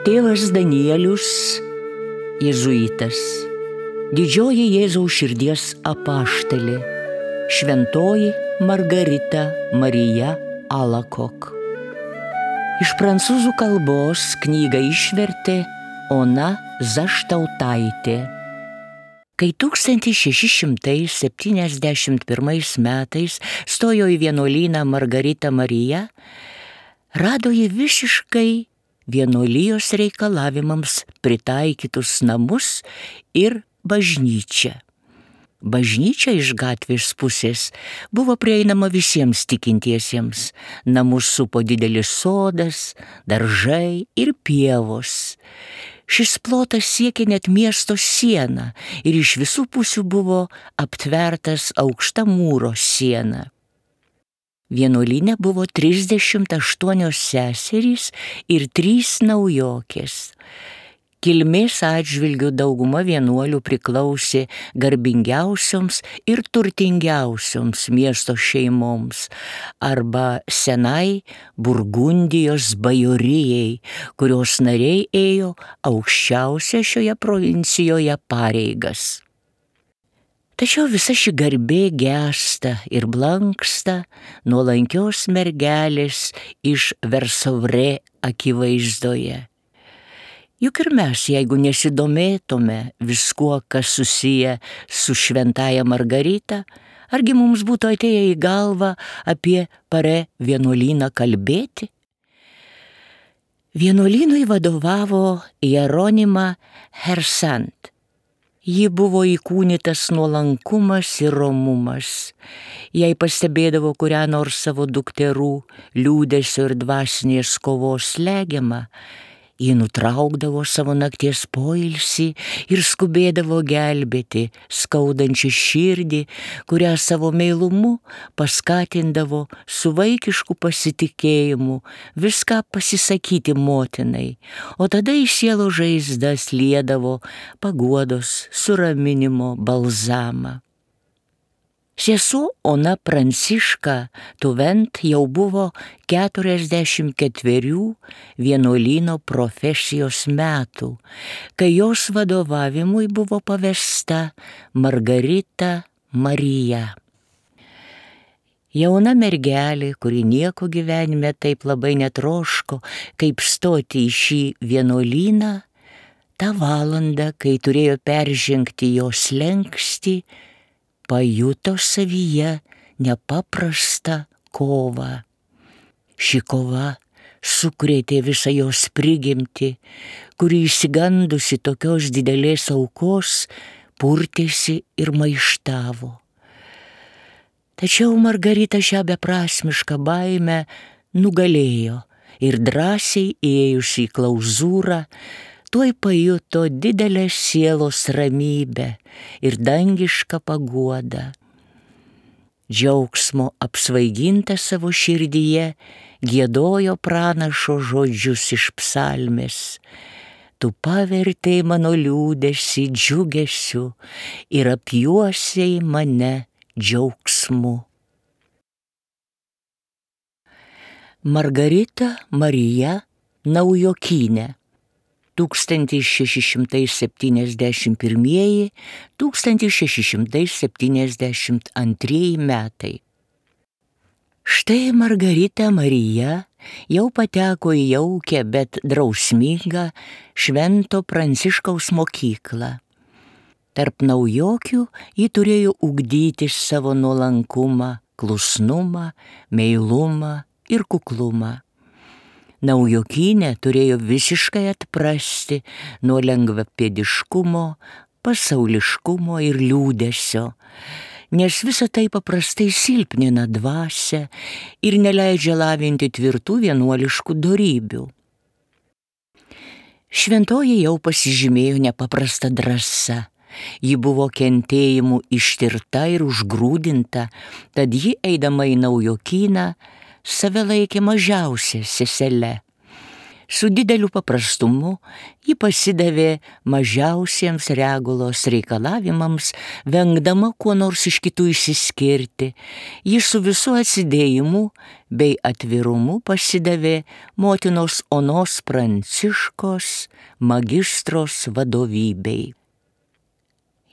Tėvas Danielius, jėzuitas, didžioji Jėzaus širdies apaštalė, šventoji Margarita Marija Alacoque. Iš prancūzų kalbos knygą išvertė Ona Zaštautaitė. Kai 1671 metais stojo į vienuolyną Margarita Marija, rado ji visiškai vienuolijos reikalavimams pritaikytus namus ir bažnyčią. Bažnyčia iš gatvės pusės buvo prieinama visiems tikintiesiems. Namus supo didelis sodas, daržai ir pievos. Šis plotas siekė net miesto sieną ir iš visų pusių buvo aptvertas aukšta mūro siena. Vienuolyne buvo 38 seserys ir 3 naujokės. Kilmės atžvilgiu dauguma vienuolių priklausė garbingiausioms ir turtingiausioms miesto šeimoms arba senai Burgundijos bajorijai, kurios nariai ėjo aukščiausią šioje provincijoje pareigas. Tačiau visa ši garbė gęsta ir blanksta nuolankios mergelės iš Versovre akivaizdoje. Juk ir mes, jeigu nesidomėtume viskuo, kas susiję su šventaja Margarita, argi mums būtų atėję į galvą apie Pare vienuolyną kalbėti? Vienuolynui vadovavo Jeronima Hersant. Ji buvo įkūnytas nuolankumas ir romumas. Jei pastebėdavo kurią nors savo dukterų liūdesio ir dvasinės kovos slegiamą, ji nutraukdavo savo nakties poilsį ir skubėdavo gelbėti skaudančią širdį, kurią savo meilumu paskatindavo su vaikišku pasitikėjimu viską pasisakyti motinai, o tada į sielos žaizdas liedavo paguodos suraminimo balzamą. Sesuo Ona Pranciška Tuvent jau buvo 44 vienuolyno profesijos metų, kai jos vadovavimui buvo pavesta Margarita Marija. Jauna mergelė, kuri nieko gyvenime taip labai netroško, kaip stoti į šį vienuolyną, tą valandą, kai turėjo peržengti jos slenkstį, pajuto savyje nepaprastą kovą. Ši kova sukrėtė visą jos prigimtį, kuri išsigandusi tokios didelės aukos purtėsi ir maištavo. Tačiau Margarita šią beprasmišką baimę nugalėjo ir drąsiai ėjusi į klauzūrą, tuoj pajuto didelę sielos ramybę ir dangišką paguodą. Džiaugsmo apsvaiginta savo širdyje giedojo pranašo žodžius iš psalmės. Tu pavertei mano liūdesį džiugesiu ir apjuosei mane džiaugsmu. Margarita Marija Naujokynė 1671–1672 metai. Štai Margarita Marija jau pateko į jaukią, bet drausmingą Švento Pranciškaus mokyklą. Tarp naujokių ji turėjo ugdyti savo nuolankumą, klusnumą, meilumą ir kuklumą. Naujokynė turėjo visiškai atprasti nuo lengvapėdiškumo, pasauliškumo ir liūdesio, nes visa tai paprastai silpnina dvasią ir neleidžia lavinti tvirtų vienuoliškų dorybių. Šventoji jau pasižymėjo nepaprasta drąsa. Ji buvo kentėjimų ištirta ir užgrūdinta, tad ji, eidama į Naujokyną, save laikė mažiausia sesele. Su dideliu paprastumu ji pasidavė mažiausiems regulos reikalavimams, vengdama kuo nors iš kitų išsiskirti. Ji su visu atsidėjimu bei atvirumu pasidavė motinos Onos Pranciškos magistros vadovybei.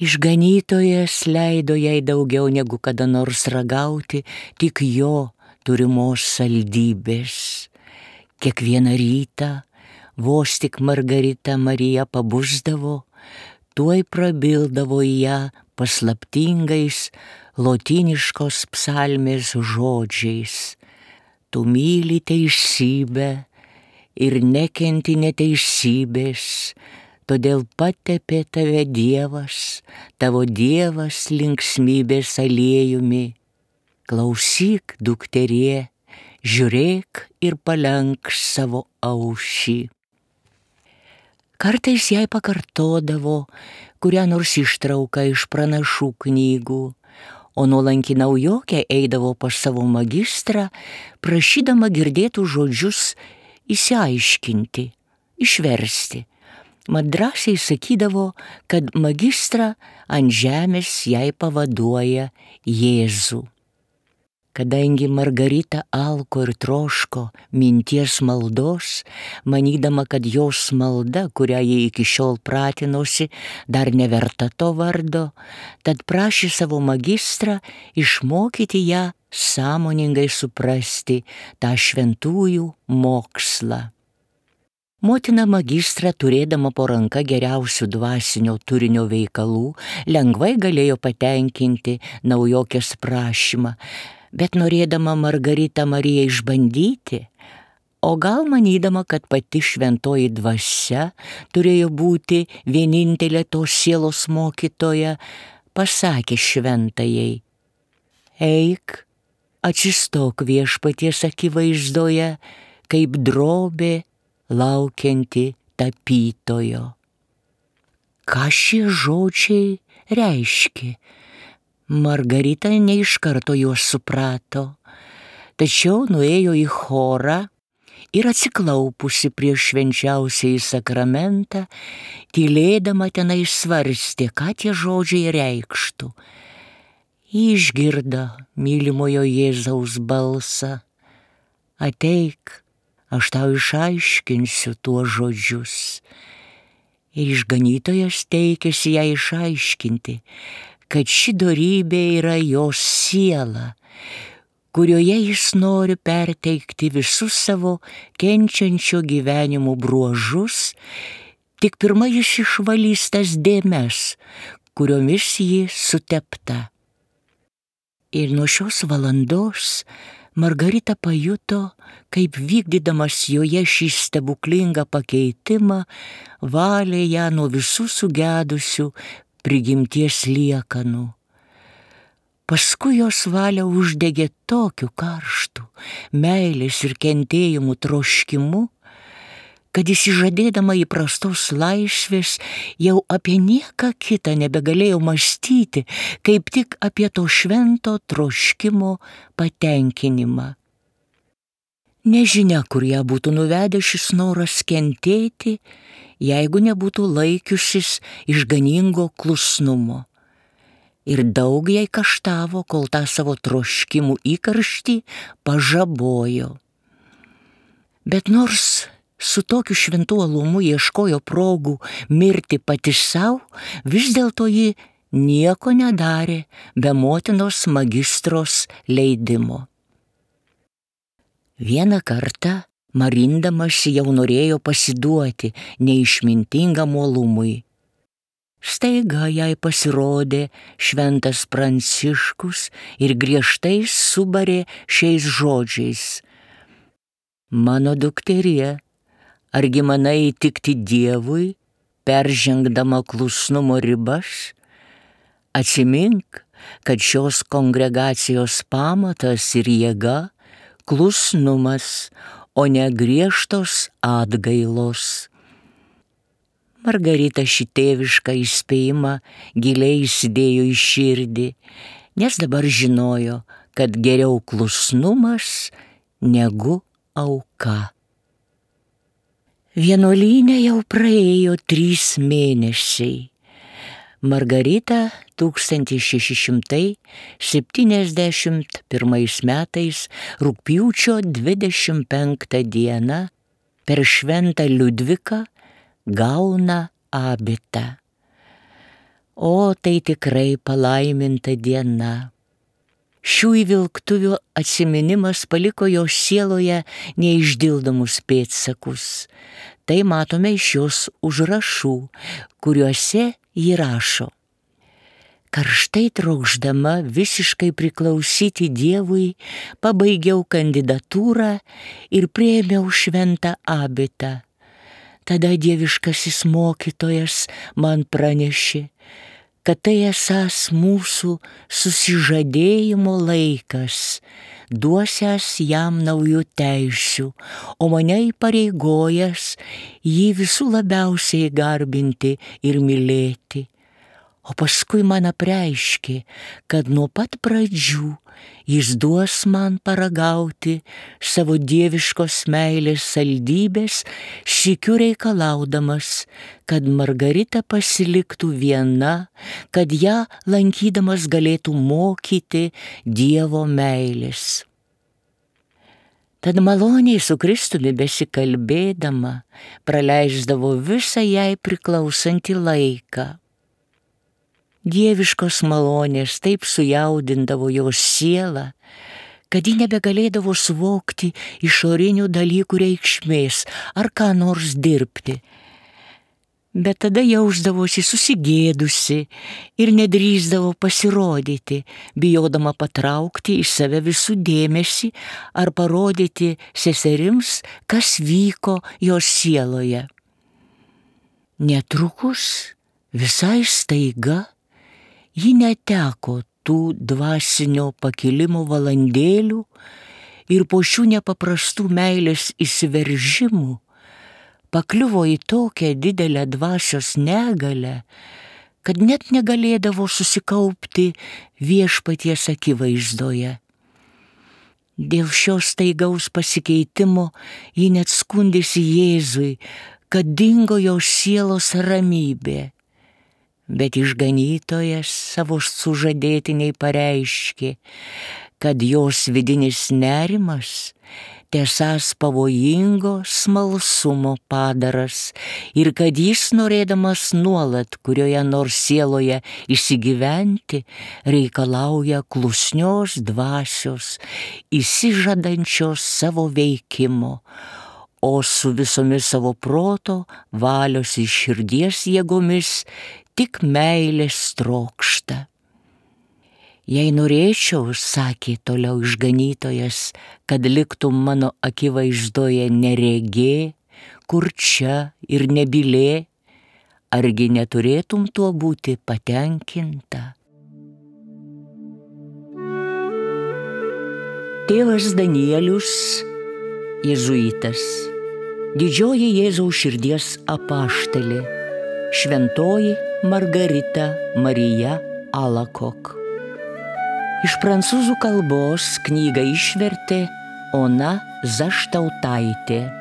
Išganytojas leido jai daugiau negu kada nors ragauti tik jo turimos saldybės. Kiekvieną rytą, vos tik Margarita Marija pabusdavo, tuoj prabildavo į ją paslaptingais lotyniškos psalmės žodžiais. Tu myli teisybę ir nekenti neteisybės, todėl patepė tave Dievas, tavo Dievas linksmybės aliejumi. Klausyk, dukterie, žiūrėk ir palenk savo aušį. Kartais jai pakartodavo kurią nors ištrauką iš pranašų knygų, o nuolanki naujokė eidavo pas savo magistrą, prašydama girdėtų žodžius išsiaiškinti, išversti. Mat drąsiai sakydavo, kad magistrą ant žemės jai pavaduoja Jėzų. Kadangi Margarita alko ir troško minties maldos, manydama, kad jos malda, kurią jie iki šiol pratinosi, dar neverta to vardo, tad prašė savo magistrą išmokyti ją sąmoningai suprasti tą šventųjų mokslą. Motina magistrą, turėdama po ranka geriausių dvasinio turinio veikalų, lengvai galėjo patenkinti naujokės prašymą, bet norėdama Margaritą Mariją išbandyti, o gal manydama, kad pati šventoji dvasia turėjo būti vienintelė tos sielos mokytoja, pasakė šventajai: eik, atsistok Viešpaties akivaizdoje, kaip drobė laukianti tapytojo. Ką šie žodžiai reiškia? Margarita ne iš karto juos suprato, tačiau nuėjo į chorą ir atsiklaupusi prieš švenčiausiąjį sakramentą, tylėdama tenai svarstė, ką tie žodžiai reikštų. Išgirdo mylimojo Jėzaus balsą: ateik, aš tau išaiškinsiu tuos žodžius. Ir išganytojas teikėsi ją išaiškinti, kad ši dorybė yra jos siela, kurioje jis nori perteikti visus savo kenčiančio gyvenimo bruožus, tik pirma jis išvalys tas dėmes, kuriomis ji sutepta. Ir nuo šios valandos Margarita pajuto, kaip vykdydamas joje šį stebuklingą pakeitimą, valė ją nuo visų sugedusių prigimties liekanų. Paskui jos valią uždegė tokiu karštu meilės ir kentėjimų troškimu, kad išsižadėdama įprastos laisvės jau apie nieką kitą nebegalėjo mąstyti, kaip tik apie to švento troškimo patenkinimą. Nežinia, kur ją būtų nuvedęs šis noras kentėti, jeigu nebūtų laikiusis išganingo klusnumo. Ir daug jai kaštavo, kol tą savo troškimų įkarštį pažabojo. Bet nors su tokiu šventu uolumu ieškojo progų mirti pati savo, vis dėlto ji nieko nedarė be motinos magistros leidimo. Vieną kartą marindamasi jau norėjo pasiduoti neišmintingam uolumui. Staiga jai pasirodė šventas Pranciškus ir griežtai subarė šiais žodžiais: mano dukterie, argi manai įtikti Dievui, peržengdama klusnumo ribas? Atsimink, kad šios kongregacijos pamatas ir jėga klusnumas, o ne griežtos atgailos. Margarita šį tėvišką įspėjimą giliai įsidėjo į širdį, nes dabar žinojo, kad geriau klusnumas negu auka. Vienuolyne jau praėjo 3 mėnesiai. Margarita 1671 metais rugpjūčio 25 dieną per šventą Liudviką gauna abitą. O tai tikrai palaiminta diena. Šių įvilktuvių atsiminimas paliko jo sieloje neišdildomus pėdsakus. Tai matome iš jos užrašų, kuriuose ji rašo: karštai trokšdama visiškai priklausyti Dievui, pabaigiau kandidatūrą ir priėmiau šventą abitą. Tada dieviškasis mokytojas man pranešė, kad tai esąs mūsų susižadėjimo laikas, duosiąs jam naujų teisių, o mane įpareigojęs jį visų labiausiai garbinti ir mylėti. O paskui man apreiškė, kad nuo pat pradžių jis duos man paragauti savo dieviškos meilės saldybės, sykiu reikalaudamas, kad Margarita pasiliktų viena, kad ją lankydamas galėtų mokyti Dievo meilės. Tad maloniai su Kristumi besikalbėdama praleisdavo visą jai priklausantį laiką. Dieviškos malonės taip sujaudindavo jos sielą, kad ji nebegalėdavo suvokti išorinių dalykų reikšmės ar ką nors dirbti. Bet tada jausdavosi susigėdusi ir nedrįsdavo pasirodyti, bijodama patraukti į save visų dėmesį ar parodyti seserims, kas vyko jos sieloje. Netrukus, visai staiga, ji neteko tų dvasinio pakilimo valandėlių ir po šių nepaprastų meilės įsiveržimų pakliuvo į tokią didelę dvasios negalę, kad net negalėdavo susikaupti viešpaties akivaizdoje. Dėl šios staigaus pasikeitimo ji net skundėsi Jėzui, kad dingo jos sielos ramybė. Bet išganytojas savo sužadėtiniai pareiškė, kad jos vidinis nerimas tiesąs pavojingo smalsumo padaras ir kad jis, norėdamas nuolat kurioje nors sieloje įsigyventi, reikalauja klusnios dvasios, įsižadančios savo veikimo, o su visomis savo proto, valios ir širdies jėgomis tik meilės trokšta. Jei norėčiau, sakė toliau išganytojas, kad liktum mano akivaizdoje neregė, kurčia ir nebylė, argi neturėtum tuo būti patenkinta? Tėvas Danielius, jėzuitas, didžioji Jėzaus širdies apaštalė, šventoji Margarita Marija Alacoque. Iš prancūzų kalbos knygą išvertė Ona Zaštautaitė.